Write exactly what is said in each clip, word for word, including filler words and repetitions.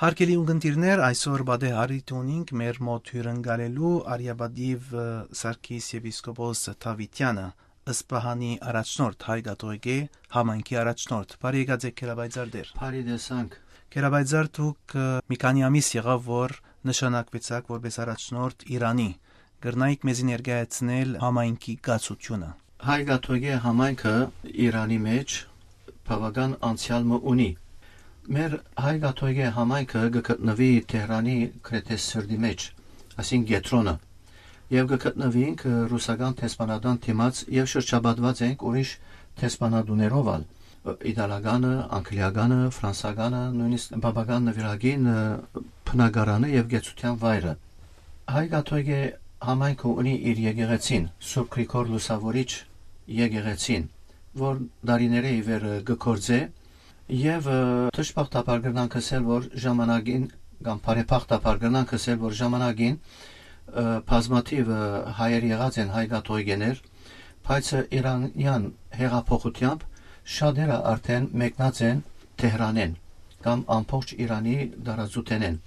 Արգելի ունգընտիրներ, այսօր պատեհ առիթ ունինք մեր մոտ հիւրընկալելու արիապատիւ, ը, Սարգիս եպիսկոպոս Դաւիթեանը, Սպահանի առաջնորդ հայ կաթողիկէ համայնքի առաջնորդ։ Բարի եկած եք, Գերապայծառ Տեր։ Բարի տեսանք։ Գերապայծառ, դուք, ը, մի քանի ամիս եղաւ, որ նշանակուեցաք որպես առաջնորդ Իրանի։ Կրնայիք մեզի ներկայացնել համայնքի կացությունը։ Հայ կաթողիկէ համայնքը Իրանի մէջ բաւական անցեալ մը ունի։ Մեր հայ կաթողիկէ համայնքը կը գտնուի Թեհրանի գրեթէ սրտի մէջ, այսինքն կեդրոնը, եւ կը գտնուինք, ը, ռուսական դեսպանատան դիմաց եւ շրջապատուած ենք ուրիշ դեսպանատուներով ալ, ը, իտալականը, անգլիականը, ֆրանսականը, նոյնիսկ պապական նուիրագին, ը, բնակարանը եւ կեցության վայրը։ Հայ կաթողիկէ համայնքը ունի իր եկեղեցին, Սուրբ Գրիգոր Լուսաւորիչ եկեղեցին, որ տարիներէ ի վեր, ը, կը գործէ, եւ, ը, դժբախտաբար կրնանք ըսել, որ ժամանակին, կամ բարեբախտաբար կրնանք ըսել, որ ժամանակին, ը, բազմաթիւ, ը, հայեր եղած են հայ կաթողիկեներ, բայց, ը, իրանեան հեղափոխութեամբ շատերը արդեն մեկնած են Թեհրանէն կամ ամբողջ Իրանի տարածութենէն։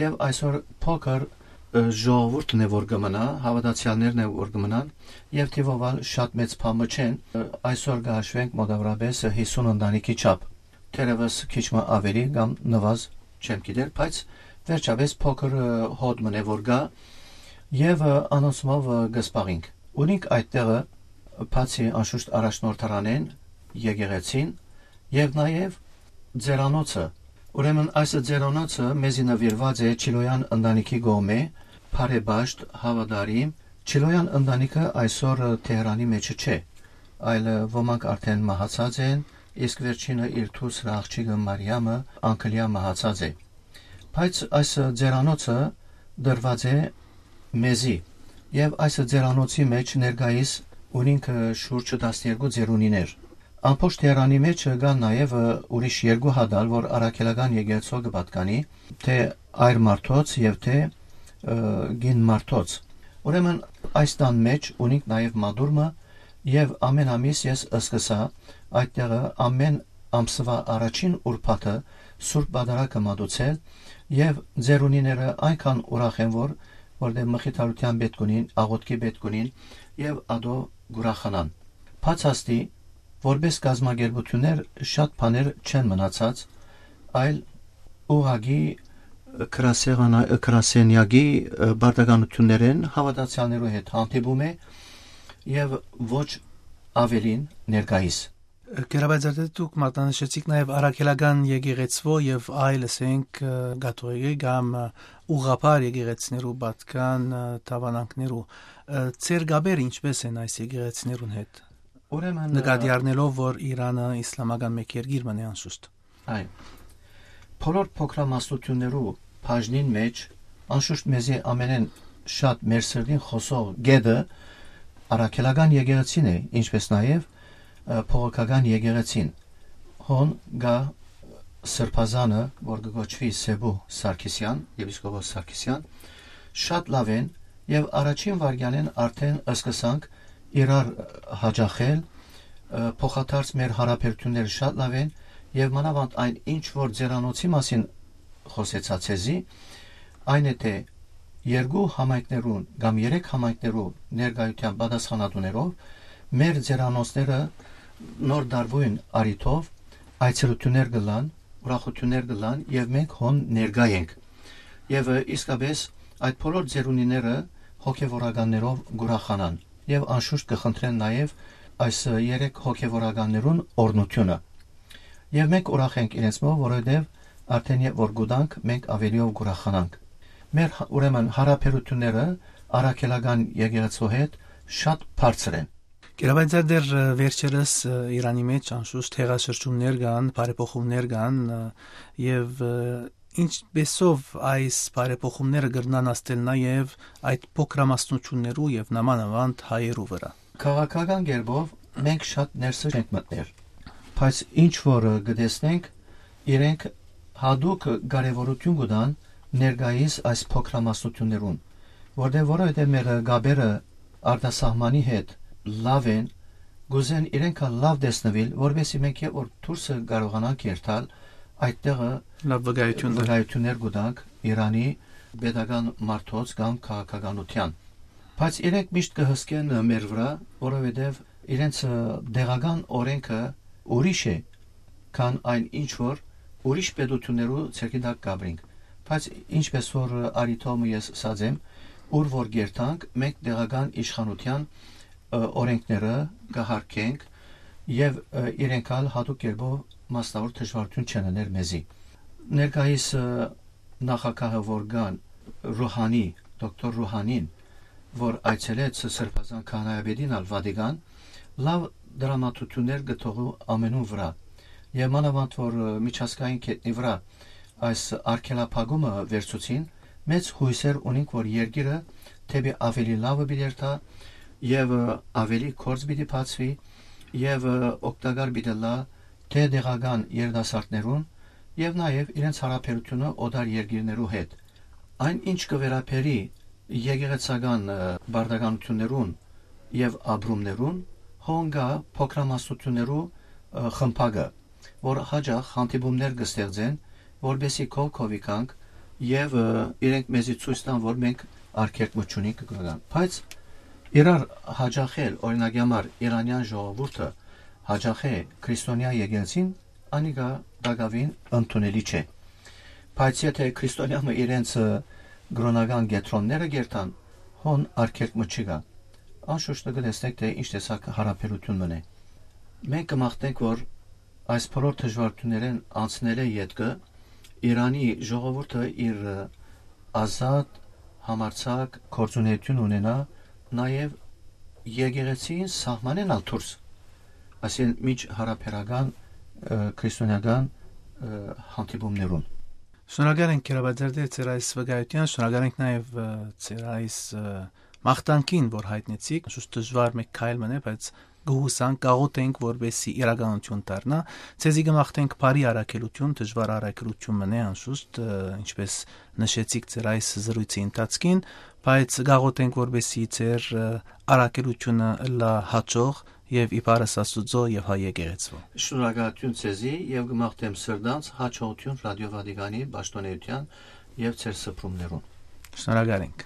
Եւ այսօր փոքր, ը, ժողովուրդն է, որ կը մնայ, հաւատացեալներն է, որ կը մնան, եւ թիւով ալ շատ մեծ բան մը չեն, ը, այսօր կը հաշուենք մոտավորապես, ը, յիսուն ընտանիքի չափ, թերեւս քիչ մը աւելի կամ նուազ, չեմ գիտեր, բայց վերջապէս փոքր, ը, հոտ մը է, որ կայ, եւ, ը, անոնցմով, ը, կը զբաղինք։ Ունինք այդտեղը, բացի անշուշտ առաջնորդարանէն, եկեղեցին եւ նաեւ ձերանոցը։ Ուրեմն այս ձերանոցը մեզի նուիրուած է Չիլոյան ընտանիքի կողմէ, բարեպաշտ, հաւատարիմ։ Չիլոյան ընտանիքը այսօր, ը, Թեհրանի մէջը չէ, այլ, ը, ոմանք արդեն մահացած են, իսկ վերջինը իր դուստրը, աղջիկը Մարիամը, անկլիա մահացած է։ Բայց այս, ը, ձերանոցը տրուած է մեզի, եւ այս, ը, ձերանոցի մէջ ներկայիս ունինք, ը, շուրջ տասներկու ձեռունիներ։ Ամբողջ Թեհրանի մէջ, ը, կան նաեւ, ը, ուրիշ երկու հատ ալ, որ առաքելական եկեղեցւոյ կը պատկանի, թէ այր մարդոց եւ թէ, ը, կին մարդոց։ Ուրեմն այս տան մէջ ունինք նաեւ մատուռ մը, եւ ամէն ամիս ես սկսայ այդտեղը ամէն ամսուայ առաջին ուրբաթը Սուրբ Պատարագը մատուցել, եւ ձեռունիները այնքան ուրախ են, որ, որտեղ մխիթարութեան պէտք ունին, աղօթքի պէտք ունին, եւ ատոր կ'ուրախանան։ Բաց աստի, որպես կազմակերպութիւններ շատ բաներ չեն մնացած, այլ ուղղակի գրասեղանա-, գրասենեակի, ը, պարտականութիւններէն հաւատացեալներու հետ հանդիպում է, եւ ոչ ավելին ներկայիս։ Գերապայծառ, դուք մատնանշեցիք նաեւ առաքելական եկեղեցւոյ եւ այլ, ասենք, ը, կաթողիկէ կամ, ը, ուղղափառ եկեղեցիներու պատկան, ը, դաւանանքներու։ Ը, ձեր կապերը ինչպէս են այս եկեղեցիներուն հետ, ուրեմն, ը, նկատի առնելով, որ Իրանը իսլամական մէկ երկիր մնայ անշուշտ։ Այո։ Բոլոր փոքրամասնություններու բաժնին մէջ, անշուշտ մեզի ամենէն շատ մեր սրտին խօսող կետը առաքելական եկեղեցին է, ինչպես նաեւ, ը, բողոքական եկեղեցին։ Հոն կայ սրբազանը, որ կը կոչուի Սեբու Սարգսեան, եպիսկոպոս Սարգսեան, շատ լաւ են, եւ առաջին վայրկեանէն արդեն սկսանք իրար հաճախել, ը, փոխադարձ մեր յարաբերությունները շատ լաւ են, եւ մանաւանդ այն ինչ որ ձերանոցի մասին խօսեցայ ձեզի, այն է թէ երկու համայնքներուն կամ երեք համայնքներու ներկայութեան պատասխանատուներով մեր ձերանոցները նոր դարբոյն առիթով այցելութիւններ կ'ըլլան, ուրախութիւններ կ'ըլլան եւ մենք հոն ներկայ ենք։ Եւ, ը, իսկապես այդ բոլոր ձեռունիները հոգեվորականներով կ'ուրախանան եւ անշուշտ կը խնդրեն նաեւ այս, ը, երեք հոգեվորականներուն օրհնութիւնը։ Եւ մենք ուրախ ենք իրենցմով, որովհետեւ արդեն երբ որ կ'ուտանք, մենք ավելիով կ'ուրախանանք։ Մեր հա-, ուրեմն յարաբերութիւնները առաքելական եկեղեցու հետ շատ բարձր են։ Գերապայծառ, դեռ, ը, վերջերս, ը, Իրանի մէջ անշուշտ հեղաշրջումներ կան, բարեփոխումներ կան, ը, եւ, ը, ինչպեսով այս բարեփոխումները կրնան ազդել նաեւ այդ փոքրամասնություններու եւ նամանավանդ հայերու վրա։ Քաղաքական կերպով մենք շատ ներսը չենք մտներ, բայց ինչ որ, ը, կը տեսնենք, իրենք յատուկ կարեւորութիւն կու տան ներկայիս այս փոքրամասնություններուն, որտեղ որովհետեւ մեր կապերը արտասահմանի հետ լաւ են, կ'ուզեն իրենք ալ լաւ տեսնուիլ, որպեսզի մենք երբ որ դուրսը կարողանանք երթալ, այդտեղը լաւ վկայութիւն տայ։ Վկայութիւններ կու տանք Իրանի պետական մարդոց կամ քաղաքականութեան։ Բայց իրենք միշտ կը հսկեն մեր վրայ, որովհետեւ իրենց, ը, տեղական օրենքը ուրիշ է, քան այն ինչ որ ուրիշ պետութիւններու ձեռքի տակ կ'ապրինք։ Բայց ինչպես որ, ը, արի թող մը ես ըսած եմ, ուր որ կերթանք, մենք տեղական իշխանութեան, ը, օրենքները կը յարգենք եւ, ը, իրենք ալ յատուկ կերպով մասնաւոր դժուարութիւն չեն ըներ մեզի։ Ներկայիս, ը, նախագահը որ կան, Ռուհանի, դոկտոր Ռուհանին, որ այցելեց Սրբազան քահանայապետին ալ Վատիկան, լաւ դրամատուրգիաներ կը թողու ամենուն վրայ։ Եւ մանաւանդ որ, ը, միջազգային գետնի վրայ այս արգելափակումը վերցուցին, մեծ յուսեր ունինք որ երկիրը դէպի աւելի լաւը պիտի երթայ եւ, ը, աւելի գործ պիտի բացուի եւ, ը, օգտակար պիտի ըլլայ թէ տեղական երիտասարդներուն եւ նաեւ իրենց յարաբերութիւնը օտար երկիրներու հետ։ Այն ինչ կը վերաբերի եկեղեցական, ը, պարտականութիւններուն եւ ապրումներուն, հոն կայ փոքրամասնութիւններու, ը, խմբակը, որ յաճախ հանդիպումներ կը ստեղծեն, որպեսզի քով-քովի գանք եւ, ը, իրենք մեզի ցոյց տան որ մենք արգելք մը չունինք կրական։ Բայց իրար յաճախել, օրինակի համար իրանեան ժողովուրդը յաճախ է քրիստոնեայ եկեղեցին, անիկա տակաւին ընդունելի չէ։ Բայց եթէ քրիստոնեայ մը իրենց, ը, կրօնական կեդրոնները կերթան, հոն արգելք մը չկայ։ Անշուշտ կը տեսնեք թէ ինչ տեսակ յարաբերութիւն մըն է։ Մենք կը մաղթենք որ այս բոլոր դժուարութիւններէն անցնելէ ետքը Իրանի ժողովուրդը իր, ը, ազատ, համարձակ գործունէութիւն ունենայ նաեւ եկեղեցին սահմանէն ալ դուրս, այսինքն միջ յարաբերական, ը, քրիստոնեական, ը, հանդիպումներուն։ Շնորհակալ ենք, Գերապատերդե, ձեր այս վկայութեան, շնորհակալ ենք նաեւ, ը, ձեր այս, ը, մաղթանքին, որ յայտնեցիք, շուշ դժուար մէկ քայլ մնէ, բայց կը յուսանք, կաղոթենք, որպեսզի իրականութիւն դառնայ։ Ձեզի կը մաղթենք բարի առաքելութիւն, դժուար առաքելութիւն մնէ անշուշտ, ը, ինչպես նշեցիք ձեր այս զրոյցի ընթացքին, բայց կաղոթենք, որպեսզի ձեր, ը, առաքելութիւնը ըլլայ յաջող եւ իբարս Աստուծոյ եւ հայ եկեղեցւոյ։ Շնորհակալութիւն ձեզի եւ կը մաղթեմ սրտանց յաջողութիւն Ռադիօ Վատիկանի պաշտօնէութեան եւ ձեր սփռումներուն։ Շնորհակալ ենք։